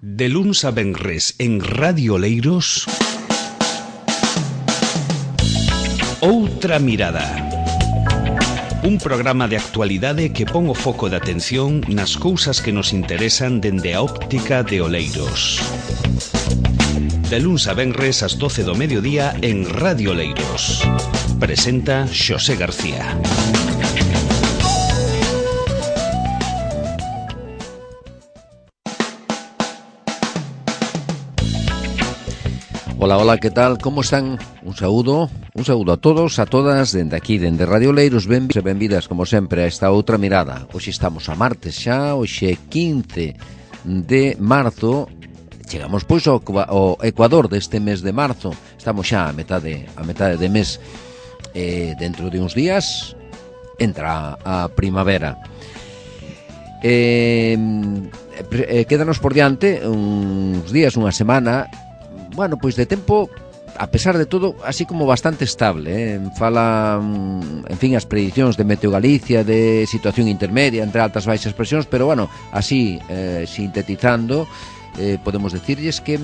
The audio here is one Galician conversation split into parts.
De luns a venres en Radio Oleiros, Outra Mirada. Un programa de actualidade que pon o foco de atención nas cousas que nos interesan dende a óptica de Oleiros. De luns a venres ás 12 do mediodía en Radio Oleiros. Presenta Xosé García. Hola, hola, ¿qué tal? ¿Cómo están? Un saúdo a todos, a todas, dende aquí, dende Radio Oleiros, benvidas, como sempre, a esta outra mirada. Hoxe estamos a martes xa, hoxe 15 de marzo, chegamos pois ao Ecuador deste mes de marzo, estamos xa a metade de mes, dentro de uns días entra a primavera. Quédanos por diante uns días, unha semana. Bueno, pois de tempo, a pesar de todo, así como bastante estable, Fala, en fin, as predicións de Meteo Galicia de situación intermedia entre altas e baixas presións, pero bueno, así, sintetizando, podemos decirlles que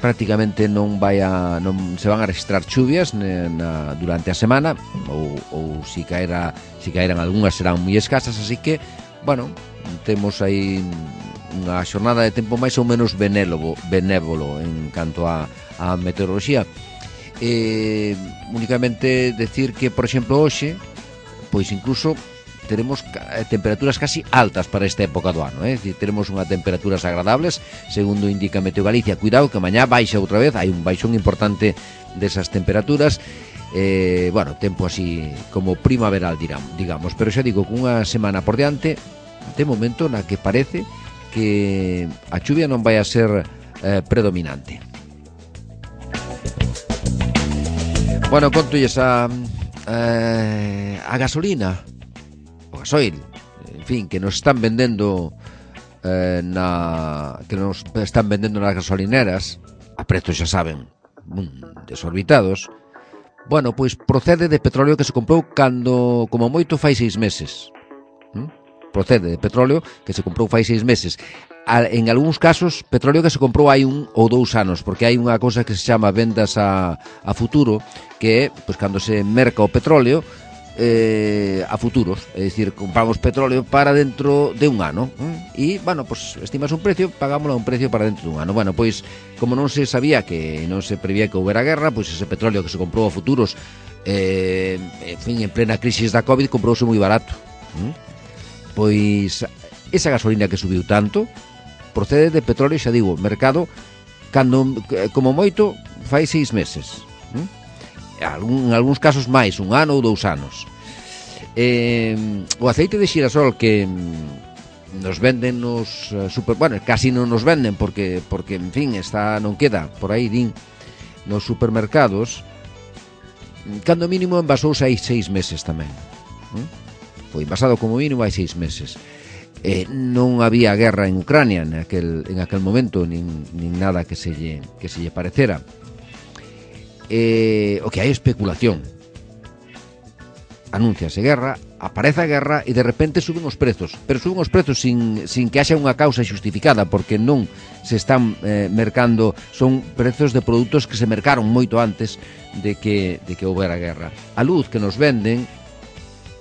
prácticamente non se van a registrar chuvias durante a semana, ou si caeran algunhas serán moi escasas, así que, bueno, temos aí unha xornada de tempo máis ou menos benévolo en canto a meteoroloxía. Únicamente decir que, por exemplo, hoxe, pois incluso teremos temperaturas casi altas para esta época do ano, Decir, teremos unhas temperaturas agradables, segundo indica Meteo Galicia. Cuidado que mañá baixa outra vez, hai un baixón importante desas temperaturas. Bueno, tempo así como primaveral, digamos, pero xa digo, cunha semana por diante, de momento na que parece que a chuvia non vai a ser predominante. Bueno, contolles a gasolina, o gasoil, en fin, que nos están vendendo nas gasolineras a prezos, xa saben, desorbitados. Bueno, pois procede de petróleo que se comprou cando, como moito, fai 6 meses. Procede de petróleo que se comprou fai 6 meses. En algúns casos, petróleo que se comprou hai 1 ou 2 anos, porque hai unha cousa que se chama vendas a futuro, que é, pois, cando se merca o petróleo a futuros, é dicir, compramos petróleo para dentro de un ano, e, bueno, pois, estimas un precio, pagámoslo a un precio para dentro de un ano. Bueno, pois, como non se sabía que non se prevía que houbera guerra, pois ese petróleo que se comprou a futuros, en fin, en plena crisis da COVID, comprouse moi barato. Pois esa gasolina que subiu tanto procede de petróleo, xa digo, mercado cando, como moito, fai 6 meses, en algúns casos máis, 1 ano ou 2 anos. O aceite de xirasol que nos venden nos bueno, casi non nos venden porque en fin, non queda por aí, din, nos supermercados, cando mínimo envasouse hai 6 meses tamén. Foi envasado como mínimo hai 6 meses. Non había guerra en Ucrania en aquel momento, nin nada que se lle parecera. O que hai especulación. Anúnciase guerra, aparece a guerra e de repente suben os prezos, pero suben os prezos sin que haxa unha causa xustificada, porque non se están mercando, son prezos de produtos que se mercaron moito antes de que houbera guerra. A luz que nos venden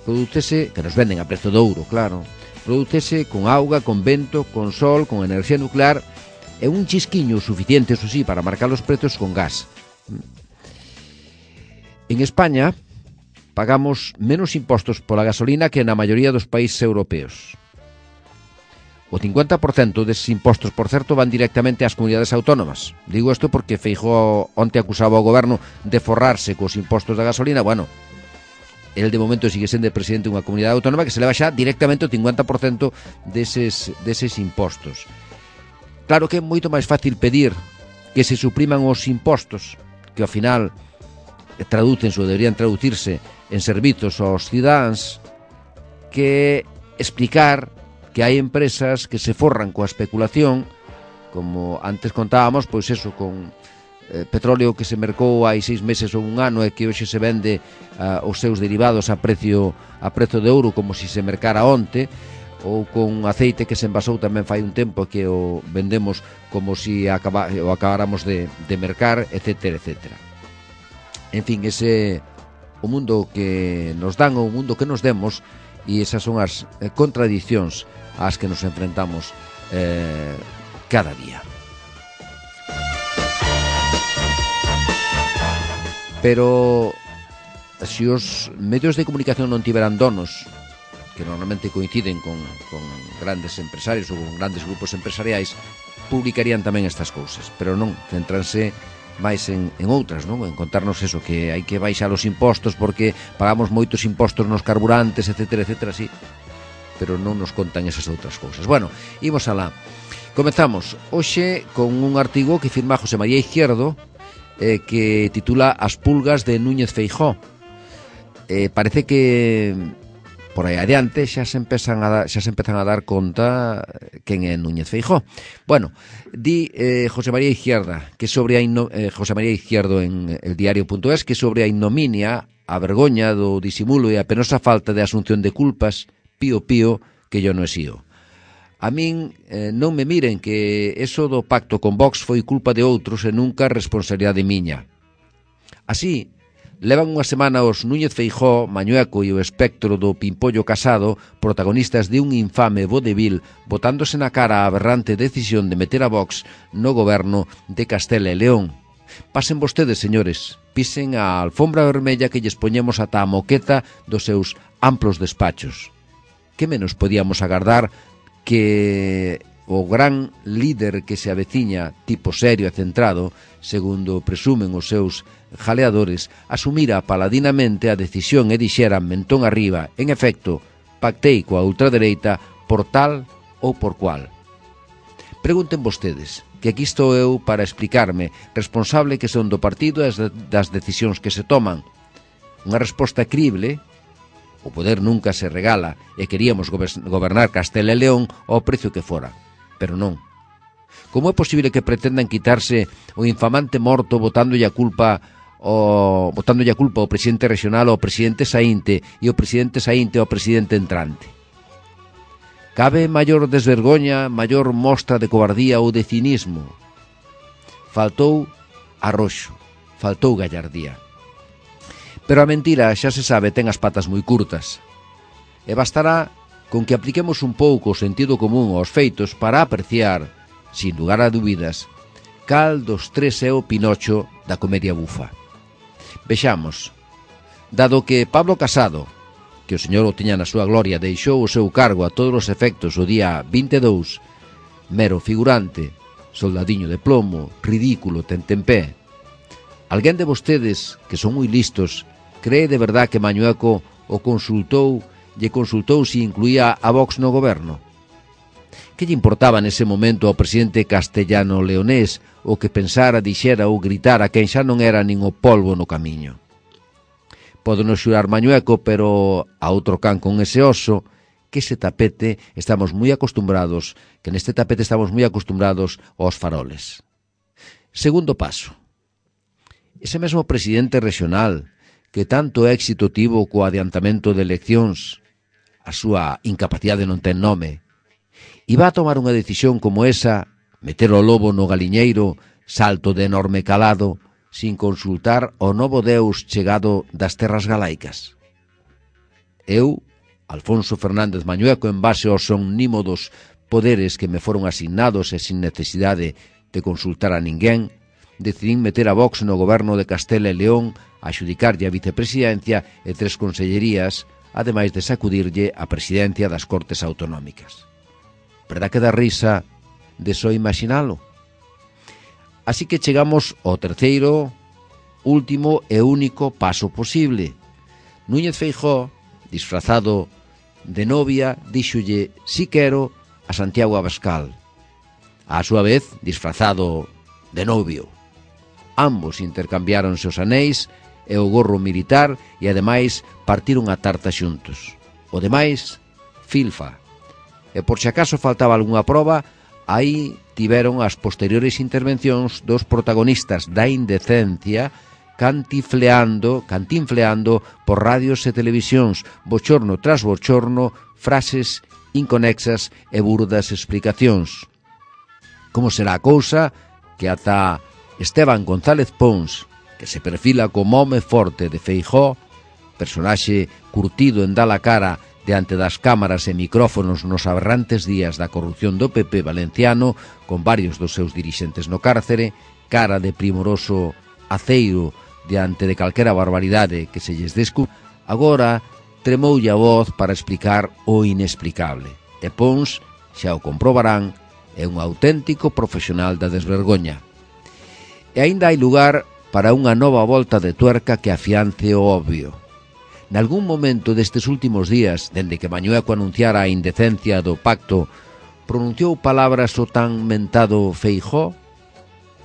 que nos venden a prezo de ouro, claro, prodúcese con auga, con vento, con sol, con enerxía nuclear, e un chisquiño suficiente, eso sí, para marcar os prezos con gas. En España pagamos menos impostos pola gasolina que na maioría dos países europeos. O 50% deses impostos, por certo, van directamente ás comunidades autónomas. Digo isto porque Feijóo onte acusaba ao goberno de forrarse cos impostos da gasolina. Bueno, el de momento sigue sendo presidente dunha comunidade autónoma que se leva xa directamente o 50% deses impostos. Claro que é moito máis fácil pedir que se supriman os impostos, que ao final traducense ou deberían traducirse en servizos aos cidadáns, que explicar que hai empresas que se forran coa especulación, como antes contábamos, pois eso, con petróleo que se mercou hai 6 meses ou 1 ano e que hoxe se vende os seus derivados a precio de ouro como se mercara onte, ou con aceite que se envasou tamén fai un tempo que o vendemos como si o acabáramos de mercar, etcétera, etcétera. En fin, ese o mundo que nos dan ou o mundo que nos demos, e esas son as contradicións ás que nos enfrentamos cada día. Pero se os medios de comunicación non tiveran donos, que normalmente coinciden con grandes empresarios ou con grandes grupos empresariais, publicarían tamén estas cousas, pero non, centranse máis en outras, non? En contarnos eso, que hai que baixar os impostos porque pagamos moitos impostos nos carburantes, etcétera, etcétera, sí, pero non nos contan esas outras cousas. Bueno, imos alá. Comezamos hoxe con un artigo que firma José María Izquierdo, que titula As pulgas de Núñez Feijóo. Parece que por aí adiante xa se empezan a dar conta quen é Núñez Feijóo. Bueno, di José María Izquierdo José María Izquierdo en eldiario.es que sobre a ignominia, a vergoña do disimulo e a penosa falta de asunción de culpas, pío que yo non exío. A min non me miren que eso do pacto con Vox foi culpa de outros e nunca responsabilidade miña. Así, levan unha semana os Núñez Feijóo, Mañueco e o espectro do Pimpollo Casado, protagonistas de un infame vodevil, botándose na cara a aberrante decisión de meter a Vox no goberno de Castela e León. Pasen vostedes, señores, pisen a alfombra vermella que lles poñemos ata a moqueta dos seus amplos despachos. Que menos podíamos agardar que o gran líder que se aveciña, tipo serio e centrado, segundo presumen os seus jaleadores, asumira paladinamente a decisión e dixera mentón arriba, en efecto, pactei coa ultradereita por tal ou por cual. Pregunten vostedes, que aquí estou eu para explicarme, responsable que son do partido e das decisións que se toman. Unha resposta crible. O poder nunca se regala e queríamos gobernar Castela e León ao precio que fora. Pero non. Como é posible que pretendan quitarse o infamante morto botándolle a culpa ao presidente regional, ao presidente saínte e o presidente saínte ao presidente entrante? Cabe maior desvergoña, maior mostra de cobardía ou de cinismo? Faltou arroxo, faltou gallardía. Pero a mentira, xa se sabe, ten as patas moi curtas. E bastará con que apliquemos un pouco o sentido común aos feitos para apreciar, sin lugar a dúbidas, cal dos tres é o Pinocho da comedia bufa. Vexamos, dado que Pablo Casado, que o señor o tiña na súa gloria, deixou o seu cargo a todos os efectos o día 22, mero figurante, soldadiño de plomo, ridículo, tentempé. Alguén de vostedes, que son moi listos, cree de verdad que Mañueco lle consultou se incluía a Vox no goberno? Que lle importaba nese momento ao presidente castellano-leonés o que pensara, dixera ou gritara quen xa non era nin o polvo no camiño? Pódenos xurar Mañueco, pero a outro can con ese oso, que neste tapete estamos moi acostumbrados aos faroles. Segundo paso. Ese mesmo presidente regional que tanto éxito tivo co adiantamento de eleccións, a súa incapacidade non ten nome, iba a tomar unha decisión como esa, meter o lobo no galiñeiro, salto de enorme calado, sin consultar o novo deus chegado das terras galaicas. Eu, Alfonso Fernández Mañueco, en base aos omnímodos poderes que me foron asignados e sin necesidade de consultar a ninguén, decidín meter a Vox no goberno de Castela e León, a xudicarlle a vicepresidencia e 3 consellerías, ademais de sacudirlle a presidencia das Cortes Autonómicas. Verdad que dá risa de só imaginalo? Así que chegamos ao terceiro, último e único paso posible. Núñez Feijóo, disfrazado de novia, díxolle si quero a Santiago Abascal. A súa vez, disfrazado de novio. Ambos intercambiáronse os anéis e o gorro militar e, ademais, partiron a tarta xuntos. O demais, filfa. E por se acaso faltaba algunha proba, aí tiveron as posteriores intervencións dos protagonistas da indecencia cantinfleando por radios e televisións, bochorno tras bochorno, frases inconexas e burdas explicacións. Como será a cousa que ata Esteban González Pons, que se perfila como home forte de Feijóo, personaxe curtido en dar a cara diante das cámaras e micrófonos nos aberrantes días da corrupción do PP valenciano, con varios dos seus dirixentes no cárcere, cara de primoroso aceiro diante de calquera barbaridade que se lles descu, agora tremoulle a voz para explicar o inexplicable. E Pons, xa o comprobarán, é un auténtico profesional da desvergoña. E aínda hai lugar para unha nova volta de tuerca que afiance o obvio. Nalgún momento destes últimos días, dende que Mañueco anunciara a indecencia do pacto, pronunciou palabras o tan mentado Feijóo?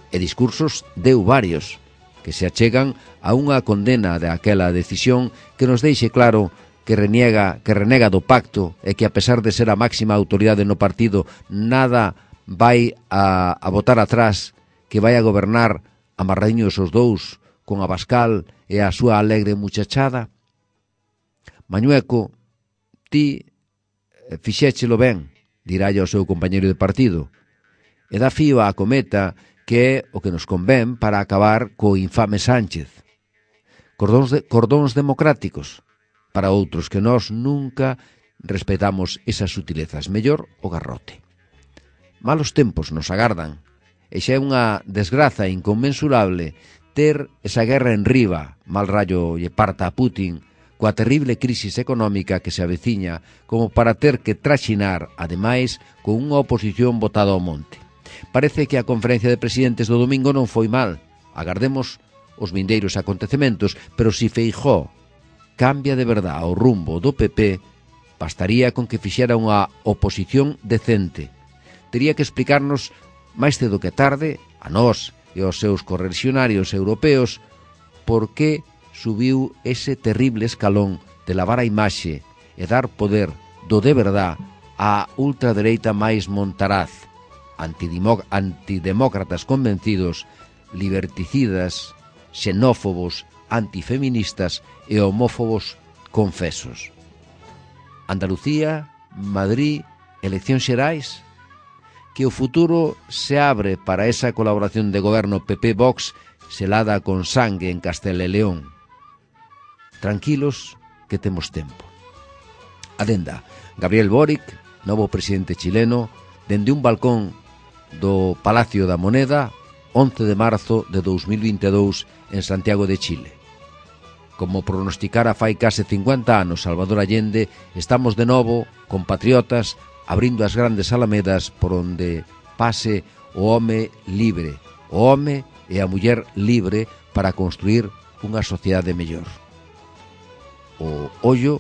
E discursos deu varios, que se achegan a unha condena de aquela decisión que nos deixe claro que renega do pacto e que, a pesar de ser a máxima autoridade no partido, nada vai a botar atrás, que vai a gobernar amarradiños os dous con Abascal e a súa alegre muchachada. Mañueco, ti fixéchelo ben, dirálle ao seu compañeiro de partido, e dá fío á cometa que é o que nos convén para acabar co infame Sánchez. Cordóns democráticos, para outros que nós nunca respetamos esas sutilezas, mellor o garrote. Malos tempos nos agardan, e xa é unha desgraza inconmensurable ter esa guerra en riba, mal rallo lle parta a Putin, coa terrible crisis económica que se aveciña, como para ter que traxinar, ademais, con unha oposición botada ao monte. Parece que a conferencia de presidentes do domingo non foi mal. Agardemos os vindeiros acontecementos, pero si Feijóo cambia de verdade o rumbo do PP, bastaría con que fixera unha oposición decente. Tería que explicarnos máis cedo que tarde, a nós e aos seus correligionarios europeos, por que subiu ese terrible escalón de lavar a imaxe e dar poder do de verdade á ultradereita máis montaraz, antidemócratas convencidos, liberticidas, xenófobos, antifeministas e homófobos confesos. Andalucía, Madrid, eleccións xerais, que o futuro se abre para esa colaboración de goberno PP-Vox selada con sangue en Castela e León. Tranquilos, que temos tempo. Adenda, Gabriel Boric, novo presidente chileno, dende un balcón do Palacio da Moneda, 11 de marzo de 2022 en Santiago de Chile. Como pronosticara fai case 50 anos Salvador Allende, estamos de novo, compatriotas, abrindo as grandes alamedas por onde pase o home libre, o home e a muller libre para construir unha sociedade mellor. O ollo,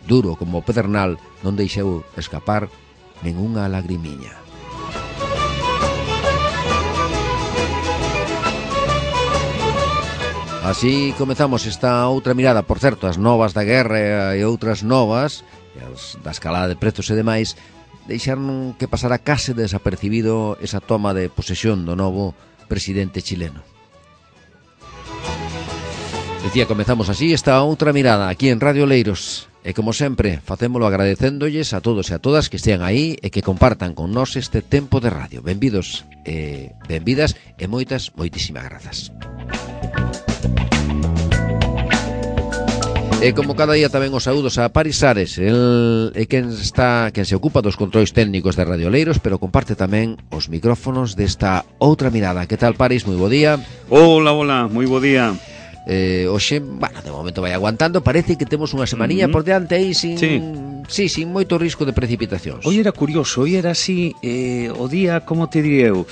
duro como o pedernal, non deixou escapar nengunha lagrimiña. Así comezamos esta outra mirada. Por certo, as novas da guerra e outras novas, as da escalada de prezos e demais, deixaron que pasara case desapercibido esa toma de posesión do novo presidente chileno. Decía, comezamos así esta outra mirada aquí en Radio Oleiros. E como sempre, facémolo agradecéndolles a todos e a todas que estean aí e que compartan con nós este tempo de radio. Benvidos e benvidas e moitísimas grazas. E como cada día tamén os saúdos a Paris Ares, el é quen se ocupa dos controis técnicos de Radio Oleiros, pero comparte tamén os micrófonos desta outra mirada. Que tal, Paris? Moi bo día. Hola, moi bo día. Hoxe, bueno, de momento vai aguantando. Parece que temos unha semanilla por diante aí sin moito risco de precipitacións. Hoy era curioso, hoy era así o día, como te diré eu,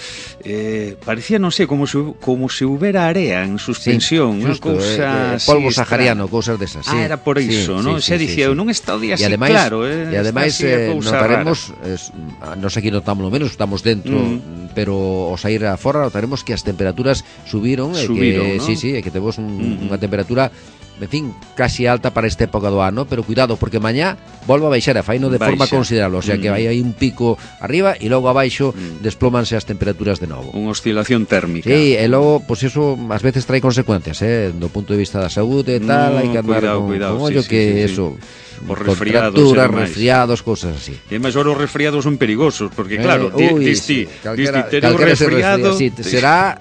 parecía, non sei, como se houbera area en suspensión, unha cousa polvo sahariano, cousas desas. Sí. Era por iso, non? Se dicía, non está o día así, ademais, claro, e ademais notaremos, nos aquí notamos menos, estamos dentro, pero ao sair afora notaremos que as temperaturas subiron, e que, ¿no? Sí, e que temos unha temperatura, en fin, casi alta para esta época do ano, pero cuidado, porque mañá volve a baixar a faino de forma considerable, o sea que vai aí un pico arriba e logo abaixo desplómanse as temperaturas de novo. Unha oscilación térmica. Sí, e logo, pois eso ás veces trae consecuencias, do punto de vista da saúde e tal, hai que andar con ollo que eso. por resfriados, resfriados, cosas así. E máis os resfriados son perigosos, porque claro, sí, tener un resfriado, será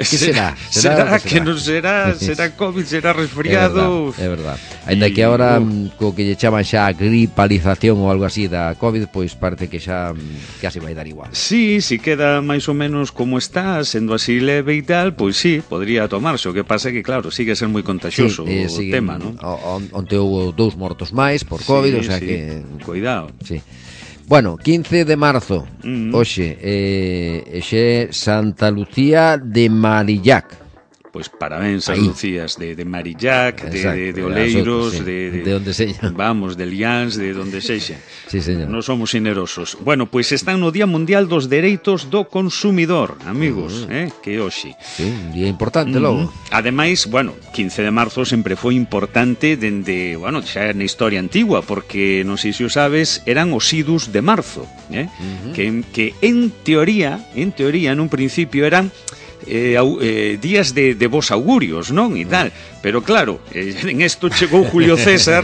que non será COVID, será resfriado. É verdad. Ainda que agora co que lle chaman xa gripalización ou algo así da COVID, pois parece que xa casi vai dar igual. Sí, si queda máis ou menos como está, sendo así leve e tal, pois sí, podría tomarse. O que pasa é que, claro, sigue a ser moi contagioso o tema, non? Onte houve 2 mortos máis por COVID, o sea que... Cuidado. Sí. Bueno, 15 de marzo, hoxe, xe Santa Lucía de Marillac. Pois parabéns a Lucías de Marillac, de Oleiros, sí, de onde sexa. Vamos, de Liáns, de onde sexa. Sí, señor. Non somos generosos. Bueno, pois están no Día Mundial dos Dereitos do Consumidor, amigos, que hoxe. Sí, un día importante logo. Ademais, bueno, 15 de marzo sempre foi importante dende, bueno, xa na historia antigua, porque non sei se o sabes, eran os idus de marzo, que en teoría, nun principio eran días de bons augurios, non? E tal. Pero claro, en esto chegou Julio César,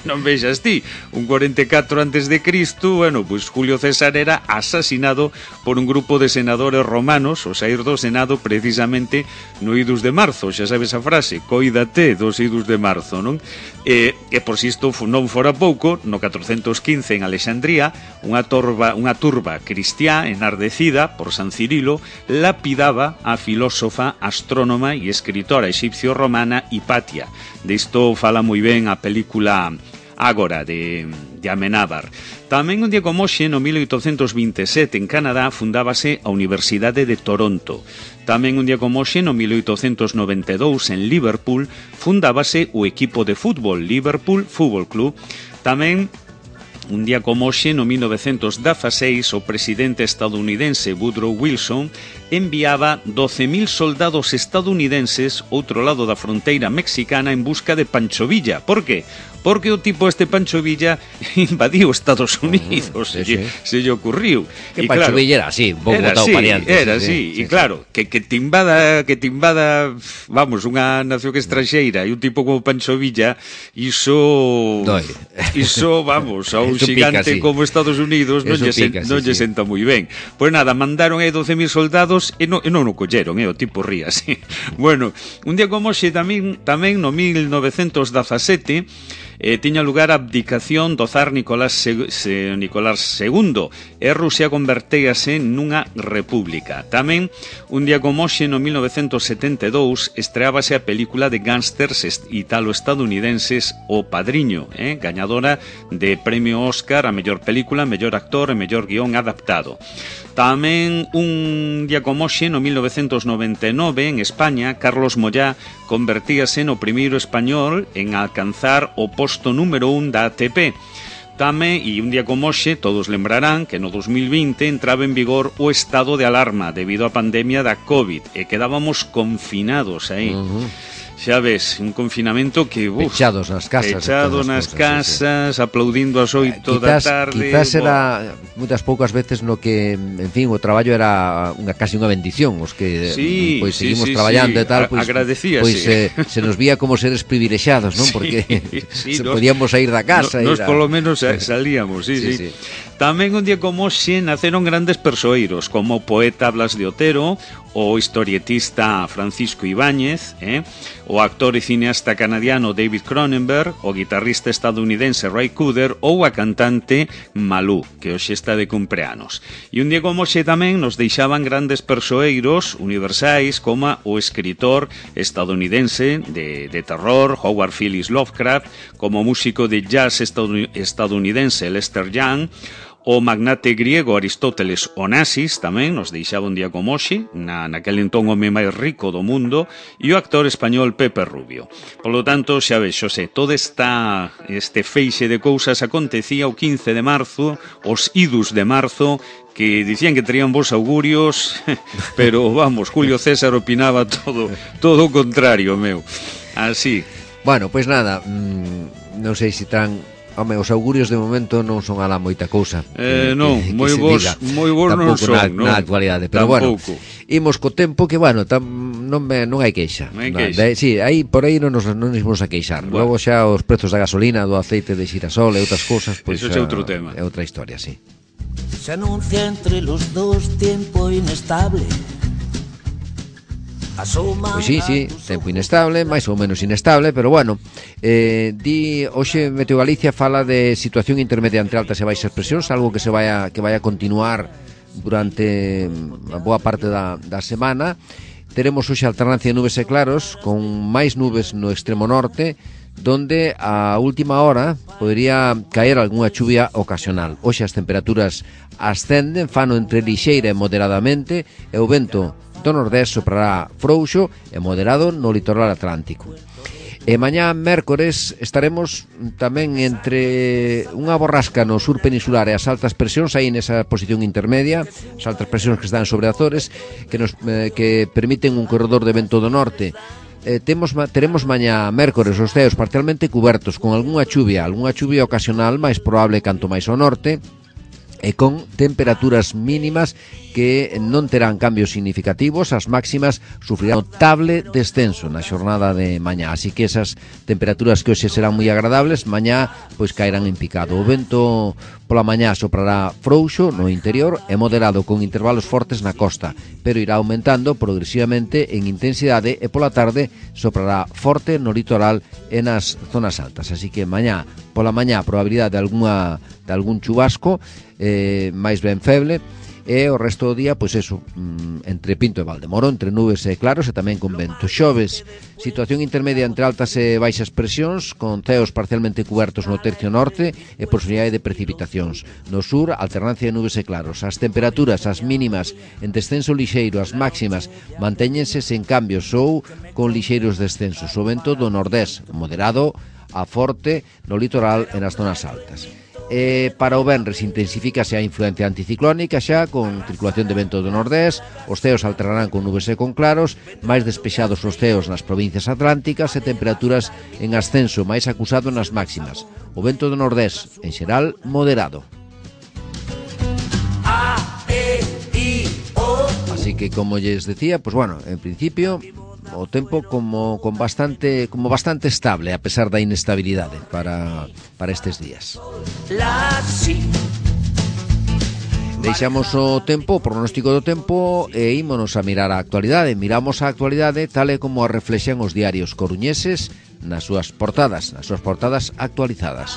non vexas ti, un 44 antes de Cristo, bueno, pois Julio César era asasinado por un grupo de senadores romanos, o saír do Senado precisamente no idus de marzo, xa sabes a frase, coídate dos idus de marzo, non? E por si isto non fora pouco, no 415 en Alexandría, unha turba cristiá enardecida por San Cirilo lapidaba a filósofa, astrónoma e escritora egipcio-romana Hipatia. Disto fala moi ben a película Ágora de Amenábar. Tamén un día como hoxe, no 1827 en Canadá, fundábase a Universidade de Toronto. Tamén un día como hoxe, no 1892 en Liverpool, fundábase o equipo de fútbol Liverpool Football Club. Tamén un día como hoxe, no 1916, o presidente estadounidense Woodrow Wilson enviaba 12.000 soldados estadounidenses outro lado da fronteira mexicana en busca de Pancho Villa. Por qué? Porque o tipo Pancho Villa invadiu Estados Unidos, se lle ocurriu. Que Pancho Villa era así, un pouco botado pariante. Era así, e claro, que te invada, vamos, unha nación estranxeira e un tipo como Pancho Villa, iso, vamos, a un xigante como Estados Unidos non lle senta moi ben. Pois nada, mandaron aí 12.000 soldados e non o colleron, o tipo ría así. Bueno, un día como hoxe tamén no 1917 tiña lugar a abdicación do zar Nicolás II e Rusia convertíase nunha república. Tamén, un día como hoxe, no 1972, estreábase a película de gángsters italo-estadounidenses O Padriño, gañadora de premio Oscar a mellor película, mellor actor e mellor guión adaptado. Tamén un día como hoxe, no 1999, en España, Carlos Moyá convertíase no primeiro español en alcanzar o posto número 1 da ATP. Tamén, e un día como hoxe, todos lembrarán que no 2020 entraba en vigor o estado de alarma debido á pandemia da COVID e quedábamos confinados aí. Xa ves, un confinamento que... pechados nas casas, sí. Aplaudindo as 8 da tarde. Quizás era moitas poucas veces no que, en fin, o traballo era casi unha bendición, os que seguimos traballando e tal, agradecíase. Se nos vía como seres privilexiados, non? Porque podíamos sair da casa. Nos polo menos salíamos, sí. Tamén un día como hoxe naceron grandes persoeiros, como o poeta Blas de Otero, o historietista Francisco Ibáñez, o actor e cineasta canadiano David Cronenberg, o guitarrista estadounidense Ray Cooder ou a cantante Malú, que hoxe está de cumpleanos. E un día como hoxe tamén nos deixaban grandes persoeiros universais como o escritor estadounidense de terror Howard Phillips Lovecraft, como o músico de jazz estadounidense Lester Young, o magnate griego Aristóteles Onassis tamén nos deixaba un día como hoxe, naquel entón home máis rico do mundo, e o actor español Pepe Rubio. Polo tanto, xa ves, Xosé, todo este feixe de cousas acontecía o 15 de marzo, os idus de marzo, que dicían que terían bons augurios, pero, vamos, Julio César opinaba todo o contrario, meu. Así. Bueno, pois nada, non sei se tan Home, os augurios de momento non son alá moita cousa. Non, moi bons non son, na actualidade, pero bueno, imos co tempo que, bueno, non hai queixa. Sí, aí por aí non nos imos a queixar. Logo xa os prezos da gasolina, do aceite de xirasol e outras cousas, pois eso é outro tema. É outra historia, sí. Se anuncia entre los dos tiempo inestable. Pois sí, tempo inestable, máis ou menos inestable, pero bueno, hoxe Meteo Galicia fala de situación intermedia entre altas e baixas presións, algo que vai a continuar durante a boa parte da semana. Teremos hoxe alternancia de nubes e claros, con máis nubes no extremo norte, donde a última hora podría caer algunha chuvia ocasional. Hoxe as temperaturas ascenden, fano entre lixeira e moderadamente, e o vento do nordés soprará frouxo e moderado no litoral atlántico. E mañá, mércores, estaremos tamén entre unha borrasca no sur peninsular e as altas presións, aí nesa posición intermedia, as altas presións que están sobre Azores, que permiten un corredor de vento do norte. Teremos mañá, mércores, os ceos parcialmente cubertos, con algunha chuvia ocasional, máis probable canto máis ao norte, e con temperaturas mínimas que non terán cambios significativos. As máximas sufrirán notable descenso na xornada de mañá, así que esas temperaturas que hoxe serán moi agradables, mañá pois caerán en picado. O vento pola mañá soprará frouxo no interior e moderado, con intervalos fortes na costa, pero irá aumentando progresivamente en intensidade, e pola tarde soprará forte no litoral e nas zonas altas. Así que mañá pola mañá probabilidade de algún chubasco máis ben feble, e o resto do día, pois eso, entre Pinto e Valdemoro, entre nubes e claros e tamén con vento. Xoves, situación intermedia entre altas e baixas presións, con ceos parcialmente cubertos no tercio norte e posibilidade de precipitacións. No sur, alternancia de nubes e claros. As temperaturas, as mínimas en descenso lixeiro, as máximas mantéñense sen cambios ou con lixeiros descensos. O vento do nordés, moderado a forte no litoral e nas zonas altas. Para o venres intensifícase a influencia anticiclónica xa, con circulación de vento do nordés. Os ceos alternarán con nubes e con claros, máis despexados os ceos nas provincias atlánticas e temperaturas en ascenso, máis acusado nas máximas. O vento do nordés, en xeral, moderado. Así que, como lles decía, pues bueno, en principio o tempo como bastante estable, a pesar da inestabilidade para estes días. Deixamos o tempo, o pronóstico do tempo, e ímonos a mirar a actualidade. Miramos a actualidade tal e como a reflexan os diarios coruñeses nas súas portadas actualizadas.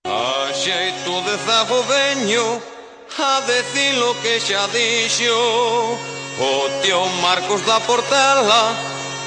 A xeito de zago veño a decir lo que xa dixo o tío Marcos da Portela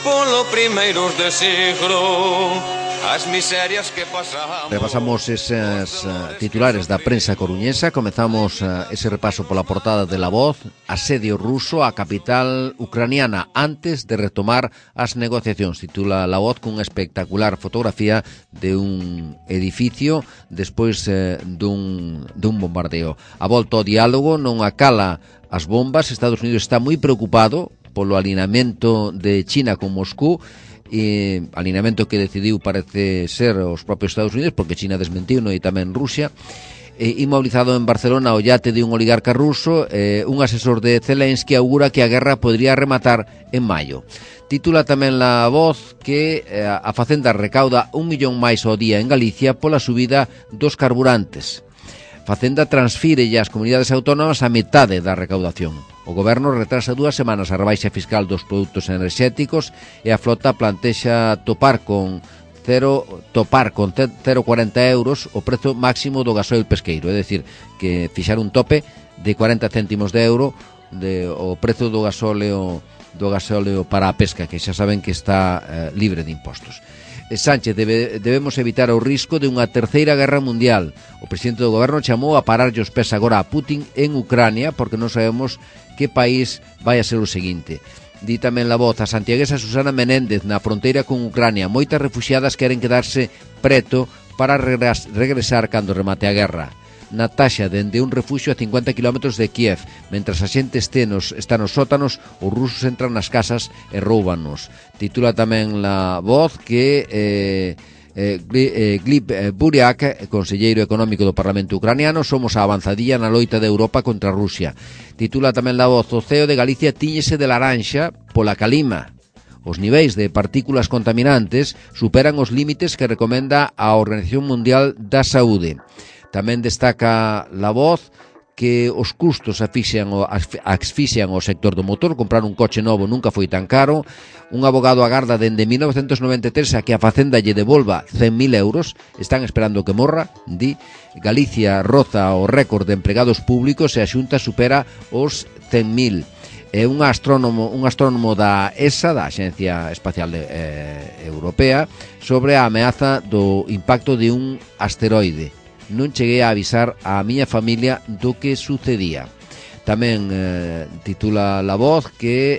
polo primeiros de siglo. As miserias que pasamos. Repasamos esas titulares da prensa coruñesa. Comezamos ese repaso pola portada de La Voz. Asedio ruso á capital ucraniana antes de retomar as negociacións. Titula La Voz cunha espectacular fotografía de un edificio despois dun bombardeo. A volta ao diálogo non acala as bombas. Estados Unidos está moi preocupado polo alinamento de China con Moscú, alineamento que decidiu parece ser os propios Estados Unidos, porque China desmentiu, e tamén Rusia. Inmobilizado en Barcelona o yate de un oligarca ruso, un asesor de Zelensky augura que a guerra podría rematar en maio. Titula tamén La Voz que a Facenda recauda 1 millón máis ao día en Galicia pola subida dos carburantes. Facenda transfire ás comunidades autónomas a metade da recaudación. O Goberno retrasa 2 semanas a rebaixa fiscal dos produtos enerxéticos e a flota plantexa topar con 0,40 euros o prezo máximo do gasoil pesqueiro, é dicir, que fixar un tope de 40 céntimos de euro o prezo do gasóleo para a pesca, que xa saben que está libre de impostos. Sánchez, debemos evitar o risco de unha terceira guerra mundial. O presidente do Goberno chamou a pararlle os pés agora a Putin en Ucrania, porque non sabemos que país vai a ser o seguinte. Di tamén La Voz a santiaguesa Susana Menéndez na fronteira con Ucrania. Moitas refuxiadas queren quedarse preto para regresar cando remate a guerra. na taxa dende un refuxio a 50 km de Kiev. Mentras a xente está nos sótanos, os rusos entran nas casas e roubanos. Titula tamén La Voz que Gleb Buriak, conselleiro económico do Parlamento ucraniano: somos a avanzadilla na loita de Europa contra Rusia. Titula tamén La Voz: o ceo de Galicia tíñese de laranxa pola calima. Os niveis de partículas contaminantes superan os límites que recomenda a Organización Mundial da Saúde. Tamén destaca La Voz que os custos asfixian o sector do motor. Comprar un coche novo nunca foi tan caro. Un abogado agarda dende 1993 a que a Facenda lle devolva 100.000 euros. Están esperando que morra, di. Galicia roza o récord de empregados públicos e a Xunta supera os 100.000. Un astrónomo da ESA, da Axencia Espacial Europea, sobre a ameaza do impacto de un asteroide. Non cheguei a avisar a miña familia do que sucedía. Tamén titula La Voz que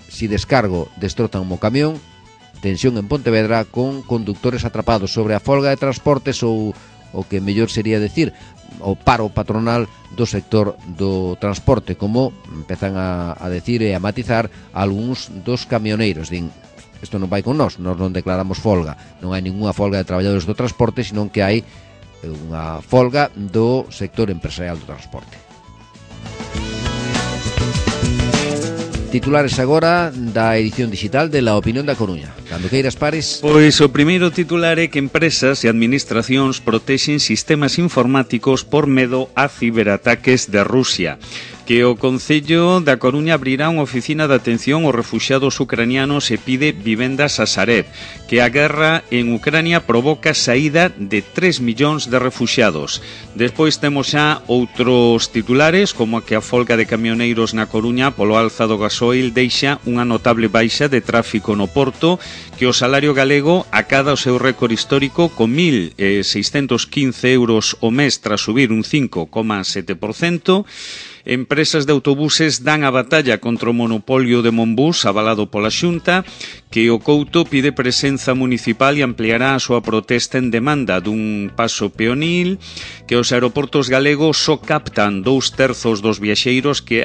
si descargo destrozan o camión. Tensión en Pontevedra con conductores atrapados sobre a folga de transportes, ou o que mellor sería decir o paro patronal do sector do transporte, como empezan a decir e a matizar algúns dos camioneiros. Din, isto non vai con nós non declaramos folga, non hai ninguna folga de traballadores do transporte, senón que hai unha folga do sector empresarial do transporte. Titulares agora da edición digital de La Opinión da Coruña. Cando queiras, Pares. Pois o primeiro titular é que empresas e administracións protexen sistemas informáticos por medo a ciberataques de Rusia. Que o Concello da Coruña abrirá unha oficina de atención aos refuxiados ucranianos e pide vivendas a Sareb. Que a guerra en Ucrania provoca saída de 3 millóns de refuxiados. Despois temos xa outros titulares, como que a folga de camioneiros na Coruña polo alza do gasoil deixa unha notable baixa de tráfico no Porto, que o salario galego acada o seu récord histórico con 1.615 euros o mes tras subir un 5,7%. Empresas de autobuses dan a batalla contra o monopolio de Monbus avalado pola Xunta, que o Couto pide presenza municipal e ampliará a súa protesta en demanda dun paso peonil, que os aeroportos galegos só captan 2/3 dos viaxeiros que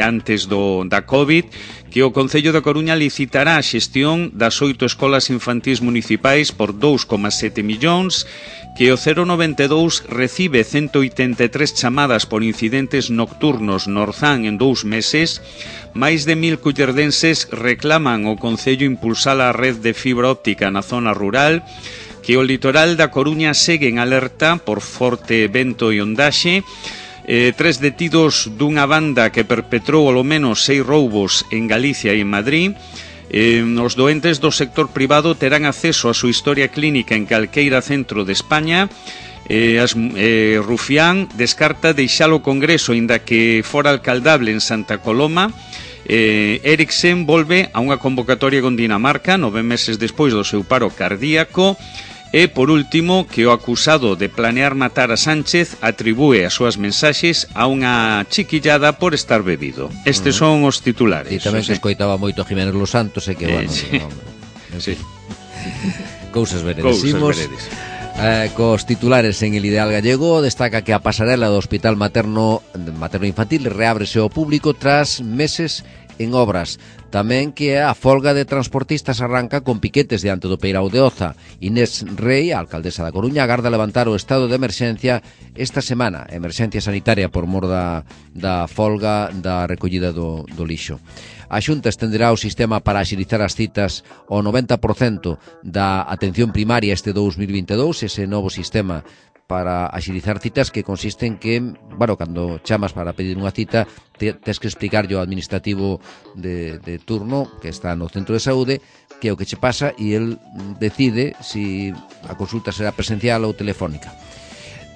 antes da COVID, que o Concello da Coruña licitará a xestión das 8 escolas infantís municipais por 2,7 millóns, que o 092 recibe 183 chamadas por incidentes nocturnos no Orzán en 2 meses. Máis de 1.000 cullerdenses reclaman ao Concello impulsar a red de fibra óptica na zona rural, que o litoral da Coruña segue en alerta por forte vento e ondaxe. 3 detidos dunha banda que perpetrou ao menos 6 roubos en Galicia e en Madrid. Os doentes do sector privado terán acceso á súa historia clínica en calqueira centro de España. Rufián descarta deixalo ao Congreso, inda que fora alcaldable en Santa Coloma. Eriksen volve a unha convocatoria con Dinamarca 9 meses despois do seu paro cardíaco. E, por último, que o acusado de planear matar a Sánchez atribúe as súas mensaxes a unha chiquillada por estar bebido. Estes son os titulares. E tamén se escoitaba moito Jiménez Los Santos, e que, bueno... Sí. Cousas veredes. Cos titulares en El Ideal Gallego, destaca que a pasarela do Hospital Materno Infantil reábrese ao público tras meses en obras. Tamén que a folga de transportistas arranca con piquetes diante do Peirao de Oza. Inés Rei, a alcaldesa da Coruña, agarda levantar o estado de emerxencia esta semana, emerxencia sanitaria por mor da folga da recollida do lixo. A Xunta estenderá o sistema para axilizar as citas ao 90% da atención primaria este 2022, ese novo sistema para axilizar citas que consiste en que, bueno, cando chamas para pedir unha cita, tens que explicarlle ao administrativo de turno que está no centro de saúde que é o que che pasa e el decide se a consulta será presencial ou telefónica.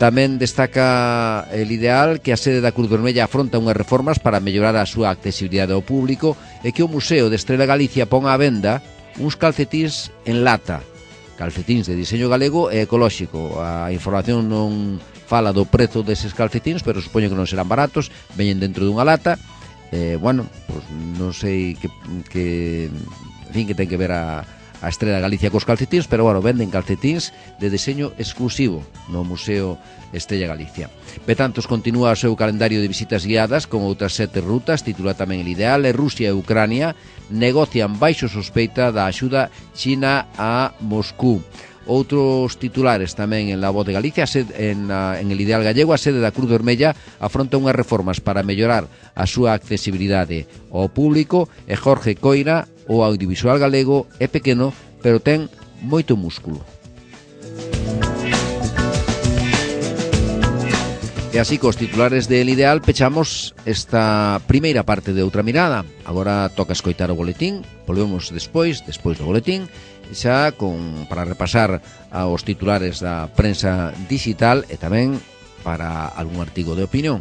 Tamén destaca El Ideal que a sede da Cruz Vermella afronta unhas reformas para mellorar a súa accesibilidade ao público e que o Museo de Estrela Galicia pon á venda uns calcetíns en lata, calcetíns de diseño galego e ecolóxico. A información non fala do prezo deses calcetíns, pero supoño que non serán baratos, veñen dentro dunha lata. Bueno, pues non sei que en fin, que ten que ver a a Estrela Galicia cos calcetíns, pero bueno, venden calcetíns de deseño exclusivo no Museo Estrella Galicia. Betantos continúa o seu calendario de visitas guiadas con outras 7 rutas, titula tamén El Ideal, e Rusia e Ucrania negocian baixo sospeita da axuda China a Moscú. Outros titulares tamén en La Voz de Galicia, en El Ideal Gallego, a sede da Cruz Vermella afronta unhas reformas para mellorar a súa accesibilidade ao público, e Jorge Coira, o audiovisual galego é pequeno, pero ten moito músculo. E así, cos titulares de El Ideal, pechamos esta primeira parte de Outra Mirada. Agora toca escoitar o boletín, volvemos despois do boletín, xa para repasar aos titulares da prensa digital e tamén para algún artigo de opinión.